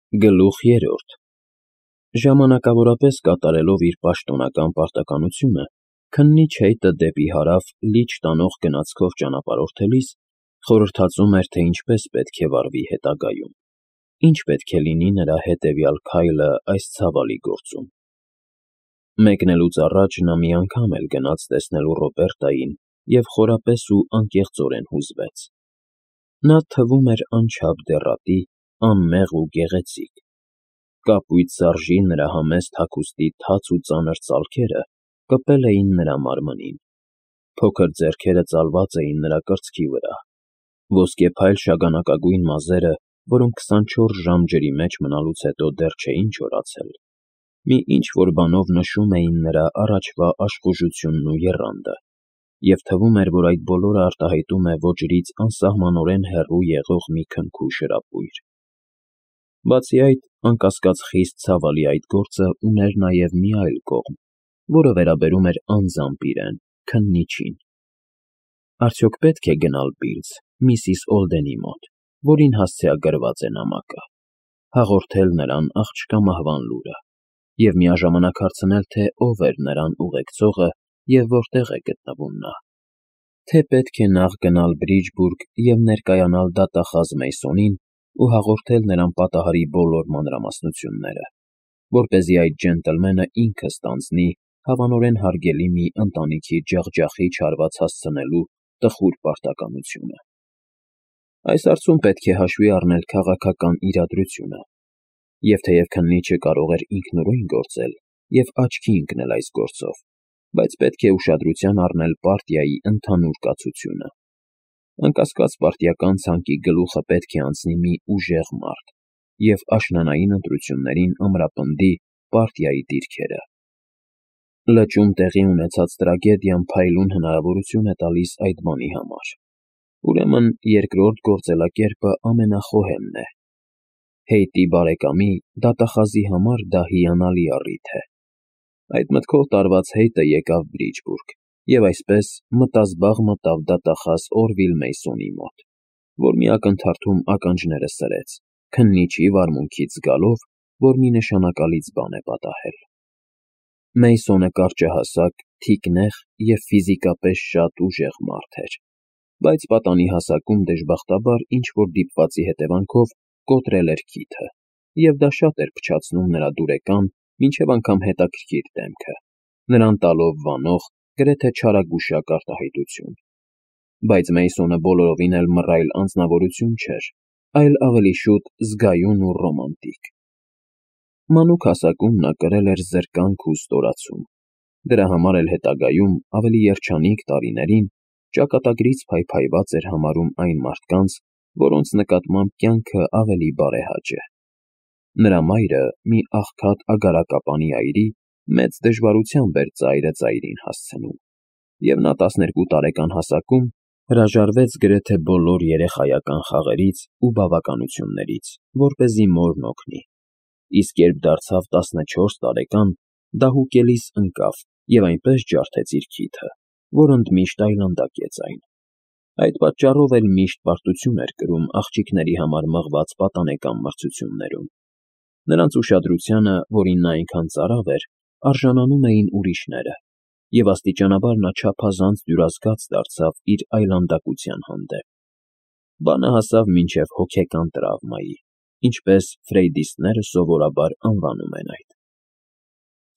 Գլուխ 3 Ժամանակավորապես կատարելով իր պաշտոնական պարտականությունը, քննիչ հեյտը դեպի հարավ լիճ տանող գնացքով ճանապարհորդելիս խորհրդածում էր, թե ինչպես պետք է վարվի հետագայում, ինչ պետք է լինի նրա հետևյալ քայլը այս ցավալի գործում։ Մեկնելուց առաջ նա մի անգամ էլ գնաց տեսնելու Ռոբերտային և խորապես ու անկեղծորեն հուզվեց։ Նա թվում էր անչափ դեռատի, անմեղ ու գեղեցիկ։ Կապույտ սարժի նրա համեստ հագուստի թաց ու ծանր ծալքերը կպել էին նրա մարմնին։ Փոքր ձեռքերը ծալված էին նրա կրծքի վրա։ Ոսկեփայլ շագանակագույն մազերը, որոնք 24 ժամ ջրի մեջ մնալուց հետո դեռ չէին չորացել, մի ինչ-որ բանով նշում էին նրա առաջվա աշխուժությունն ու եռանդը, և թվում էր, որ այդ բոլորը արտահայտում է ոճրից անսահմանորեն հեռու եղող մի քնքուշ հրապույր։ Բացի այդ, անկասկած խիստ ցավալի այդ գործը ուներ նաև մի այլ կողմ, որը վերաբերում էր անձամբ իրեն՝ քննիչին։ Արդյոք պետք է գնալ Բիլզ, միսիս Օլդենի մոտ, որին հասցեագրված է նամակը, հաղորդել նրան աղջկա մահվան լուրը և միաժամանակ հարցնել, թե ով էր նրան ուղեկցողը և որտեղ է գտնվում նա, թե պետք է նախ գնալ Բրիջբուրգ և ներկայանալ դատախազ Մեյսոնին ու հաղորդել նրան պատահարի բոլոր մանրամասնությունները, որպեսզի այդ ջենտլմենը ինքը ստանձնի հավանորեն հարգելի մի ընտանիքի ջախջախիչ հարված հասցնելու տխուր պարտականությունը։ Այս հարցում պետք է հաշվի առնել քաղաքական իրադրությունը, և թեև քննիչը կարող էր ինքնուրույն գործել և աչքի ընկնել այս գործով, բայց պետք է ուշադրության առնել պարտիայի ընդհանուր կացությունը։ Անկասկած պարտիական ցանկի գլուխը պետք է անցնի մի ուժեղ մարդ և աշնանային ընտրություններին ամրապնդի պարտիայի դիրքերը։ Լճում տեղի ունեցած տրագեդիան փայլուն հնարավորություն է տալիս այդ բանի համար։ Ուրեմն երկրորդ գործելակերպը ամենախոհեմն է։ Հեյտի բարեկամի դատախազի համար դա հիանալի առիթ է։ Այդ մտքով տարված Հեյտը եկավ Բրիջբուրգ և այսպես մտազբաղ մտավ դատախազ Օրվիլ Մեյսոնի մոտ, որ մի ակնթարթում ականջները սրեց, քննիչի վարմունքից զգալով, որ մի նշանակալից բան է պատահել։ Մեյսոնը կարճահասակ, թիկնեղ և ֆիզիկապես շատ ուժեղ մարդ էր, բայց պատանի հասակում դժբախտաբար ինչ-որ դիպվածի հետևանքով կոտրել էր քիթը, և դա շատ էր փչացնում նրա դուրեկան, մինչև անգամ հետաքրքիր դեմքը, նրան տալով վանող, գրեթե չարագուշակ արտահայտություն։ Բայց Մեյսոնը բոլորովին էլ մռայլ անձնավորություն չէր, այլ ավելի շուտ զգայուն ու ռոմանտիկ։ Մանուկ հասակում նա կրել էր զրկանք ու ստորացում, դրա համար էլ հետագայում, ավելի երջանիկ տարիներին, ճակատագրից փայփայված էր համարում այն մարդկանց, որոնց նկատմամբ կյանքը ավելի բարեհաճ է։ Նրա մայրը, մի աղքատ ագարակապանի այրի, մեծ դժվարությամբ էր ծայրը ծայրին հասցնում, և նա 12 տարեկան հասակում հրաժարվեց գրեթե բոլոր երեխայական խաղերից ու բավականություններից, որպեսզի մորն օգնի, իսկ երբ դարձավ 14 տարեկան, դահուկելիս ընկավ և այնպես ջարդեց իր քիթը, որ ընդմիշտ այլանդակեց այն։ Այդ պատճառով էլ միշտ պարտություն էր կրում աղջիկների համար մղված պատանեկան մրցություններում։ Նրանց ուշադրությանը, որին նա այնքան ծարավ էր, արժանանում էին ուրիշները, և աստիճանաբար նա չափազանց դյուրազգաց դարձավ իր այլանդակության հանդեպ։ Բանը հասավ մինչև հոգեկան տրավմայի, ինչպես ֆրեյդիստները սովորաբար անվանում են այդ։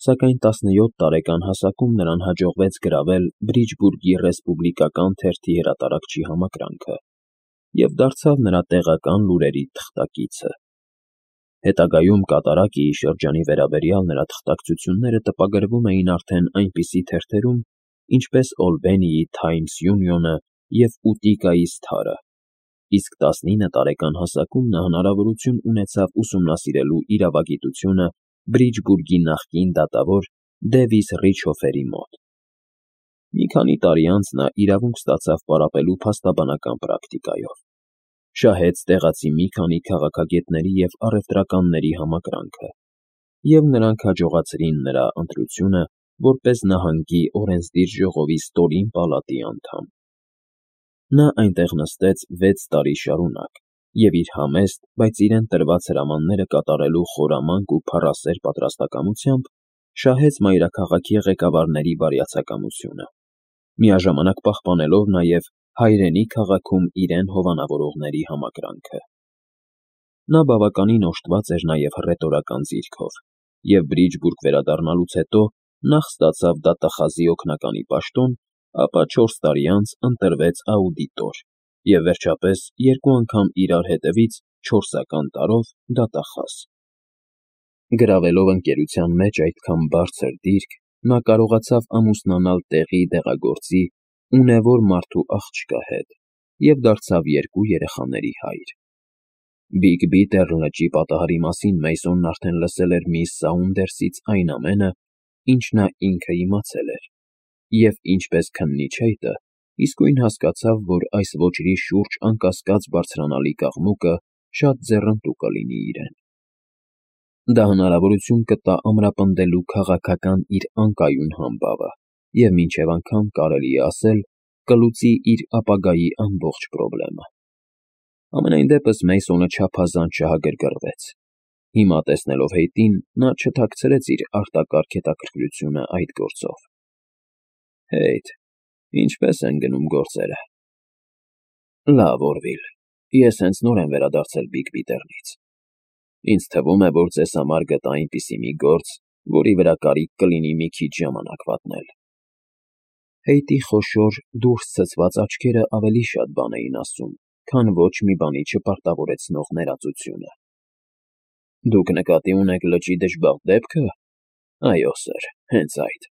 Սակայն 17 տարեկան հասակում նրան հաջողվեց գրավել Բրիջբուրգի ռեսպուբլիկական թերթի հրատարակչի համակրանքը և դարձավ նրա տեղական լուրերի թղթակիցը։ Հետագայում Կատարակիի շրջանի վերաբերյալ նրա թղթակցությունները տպագրվում էին արդեն այնպիսի թերթերում, ինչպես Օլբենիի Թայմս Յունիոնը և Ուտիկայի Սթարը, իսկ 19 տարեկան հասակում նա հնարավորություն ունեցավ ուսումնասիրելու իրավագիտությունը Բրիջբուրգի նախկին դատավոր Դևիս Ռիչհոֆերի մոտ։ Մի քանի տարի անց նա իրավունք ստացավ պարապելու փաստաբանական պրակտիկայով, շահեց տեղացի մի քանի քաղաքագետների և առևտրականների համակրանքը, և նրանք հաջողացրին նրա ընտրությունը որպես նահանգի օրենսդիր ժողովի ստորին պալատի անդամ։ Նա այնտեղ նստեց 6 տարի շարունակ և իր համեստ, բայց իրեն տրված հրամանները կատարելու խորամանկ ու փառասեր պատրաստակամությամբ շահեց մայրաքաղաքի ղեկավարների բարյացակամությունը, միաժամանակ պահպանելով նաև հայրենի քաղաքում իրեն հովանավորողների համակրանքը։ Նա բավականին օժտված էր նաև հռետորական ձիրքով, և Բրիջբուրգ վերադառնալուց հետո նախ ստացավ դատախազի օգնականի պաշտոն, ապա 4 տարի անց ընտրվեց աուդիտոր և վերջապես 2 անգամ իրար հետևից 4-ական տարով դատախազ։ Գրավելով ընկերության մեջ այդքան բարձր դիրք, նա կարողացավ ամուսնանալ տեղի դեղագործի, ունևոր մարդու աղջկա հետ և դարձավ 2 երեխաների հայր։ Բիգ Բիտեր լճի պատահարի մասին Մեյսոնն արդեն լսել էր միս Սաունդերսից այն ամենը, ինչ նա ինքը իմացել էր, և ինչպես քննիչ հեյտը, իսկույն հասկացավ, որ այս ոճրի շուրջ անկասկած բարձրանալի կաղմուկը շատ ձեռնտու կլինի իրեն։ Դա հնարավորություն կտա ամրապնդելու քաղաքական իր անկայուն համբավը և մինչև անգամ, կարելի է ասել, կլուծի իր ապագայի ամբողջ պրոբլեմը։ Համենայն դեպս Մեյսոնը չափազանց չհագրգռվեց։ Հիմա տեսնելով հեյտին, նա չթաքցրեց իր արտակարգ հետաքրքրությունը այդ գործով։ Հեյթ, ինչպե՞ս են գնում գործերը։ Լավ, Օրվիլ, ես հենց նոր եմ վերադարձել Բիգ Բիտերնից։ Ինձ թվում է, որ ձեզ համար գտա այնպիսի մի գործ, որի վրա կարիք կլինի մի քիչ ժամանակ վատնել։ Հեյտի խոշոր, դուրս ցցված աչքերը ավելի շատ բան էին ասում, քան ոչ մի բանի չպարտավորեցնող ներածությունը։ Դուք նկատի ունեք լճի դժբախտ դեպքը։ Այո, սըր, հենց այդ։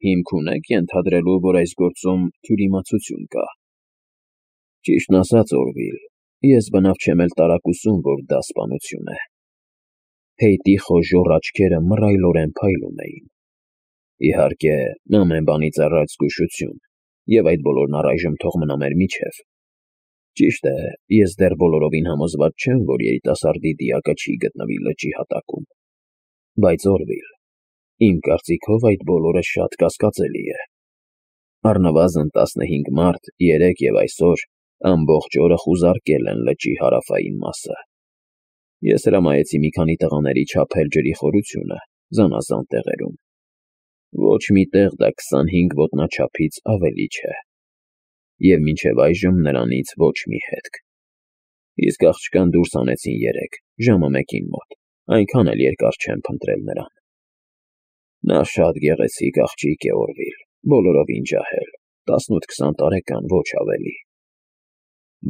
Հիմք ունեք ենթադրելու, որ այս գործում թյուրիմացություն կա։ Ճիշտն ասած, Օրվիլ, ես բնավ չեմ էլ տարակուսում, որ դա սպանություն է։ Հեյտի խոժոռ աչքերը մռայլորեն փայլում էին։ Իհարկե, ամեն բանից առաջ զգուշություն, և այդ բոլորն առայժմ թող մնա մեր միջև։ Ճիշտ է, ես դեռ բոլորովին համոզված չեմ, որ երիտասարդի դիակը չի գտնվի լճի հատակում։ Բայց, Օրվիլ, իմ կարծիքով այդ բոլորը շատ կասկածելի է։ Առնվազն 15 մարդ երեկ և այսօր ամբողջ օրը խուզարկել են լճի հարավային մասը։ Ես հրամայեցի մի քանի տղաների չափել ջրի խորությունը զանազան տեղերում։ Ոչ մի տեղ դա 25 ոտնաչափից ավելի չէ։ Եվ մինչև այժմ նրանից ոչ մի հետք։ Իսկ աղջկան դուրս հանեցին երեկ, ժամը 1-ին մոտ, այնքան էլ երկար չեմ փնտրել նրան։ Նա շատ գեղեցիկ աղջիկ է, Օրվիլ, բոլորովին ջահել, 18-20 տարեկան, ոչ ավելի։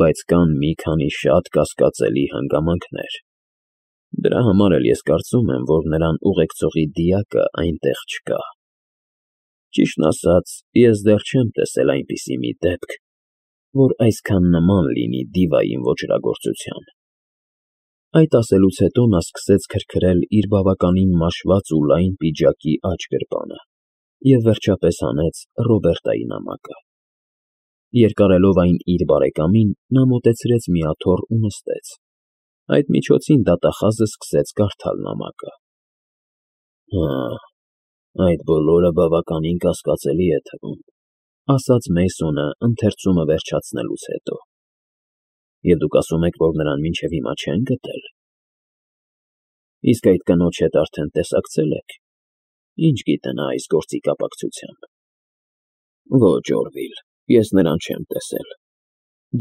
Բայց կան մի քանի շատ կասկածելի հանգամանքներ։ Դրա համար էլ ես կարծում եմ, որ նրան ուղեկցողի դիակը այնտեղ չկա։ Ճիշտն ասած, ես դեռ չեմ տեսել այնպիսի մի դեպք, որ այսքան նման լինի դիվային ոճրագործության։ Այդ ասելուց հետո նա սկսեց քրքրել իր բավականին մաշված ու լայն պիջակի աջ գրպանը և վերջապես հանեց Ռոբերտայի նամակը։ Երկարելով այն իր բարեկամին, նա մոտեցրեց մի աթոռ ու նստեց։ Այդ միջոցին դատախազը սկսեց կարդալ նամակը։ Այդ բոլորը բավականին կասկածելի է թվում, ասաց Մեյսոնը ընթերցումը վերջացնելուց հետո։ Եվ դուք ասում եք, որ նրան մինչև հիմա չեն գտել։ Իսկ այդ կնոջ հետ արդեն տեսակցել եք։ Ինչ գիտենա այս գործի կապակցությամբ։ Ոչ, Օրվիլ, ես նրան չեմ տեսել։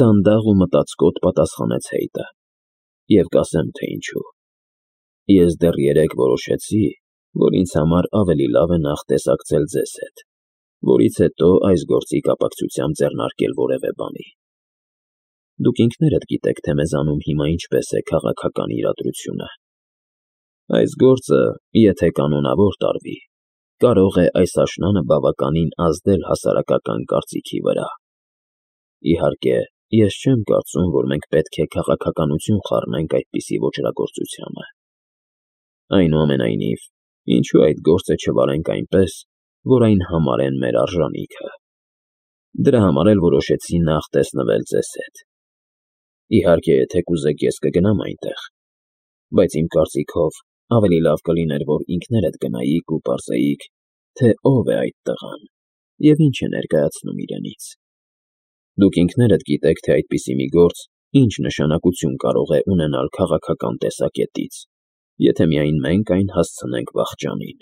Դանդաղ ու մտածկոտ պատասխանեց հեյտը։ Եվ կասեմ, թե ինչու։ Ես դեռ երեկ որոշեցի, որ ինձ համար ավելի լավ է նախ տեսակցել ձեզ հետ, որից հետո այս գործի կապակցությամբ ձեռնարկել որևէ բանի։ Դուք ինքներդ գիտեք, թե մեզանում հիմա ինչպես է քաղաքական իրադրությունը։ Այս գործը, եթե կանոնավոր տարվի, կարող է այս աշնանը բավականին ազդել հասարակական կարծիքի վրա։ Իհարկե, ես չեմ կարծում, որ մենք պետք է քաղաքականություն խառնենք այդպիսի ոճրագործությանը։ Այնուամենայնիվ, ինչու այդ գործը չվարենք այնպես, որ այն համարեն մեր արժանիքը։ Դրա համար էլ որոշեցի նախ տեսնվել ձեզ հետ։ Իհարկե, եթե կուզեք, ես կգնամ այնտեղ, բայց իմ կարծիքով ավելի լավ կլիներ, որ ինքներդ գնայիք ու պարզեիք, թե ով է այդ տղան և ինչ է ներկայացնում իրենից։ Դուք ինքներդ գիտեք, թե այդպիսի մի գործ ինչ նշանակություն կարող է ունենալ քաղաքական տեսակետից, եթե միայն մենք այն հասցնենք վախճանին։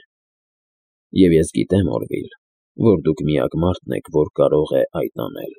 Եվ ես գիտեմ, Օրվիլ, որ դուք միակ մարդն եք, որ կարող է այդ անել։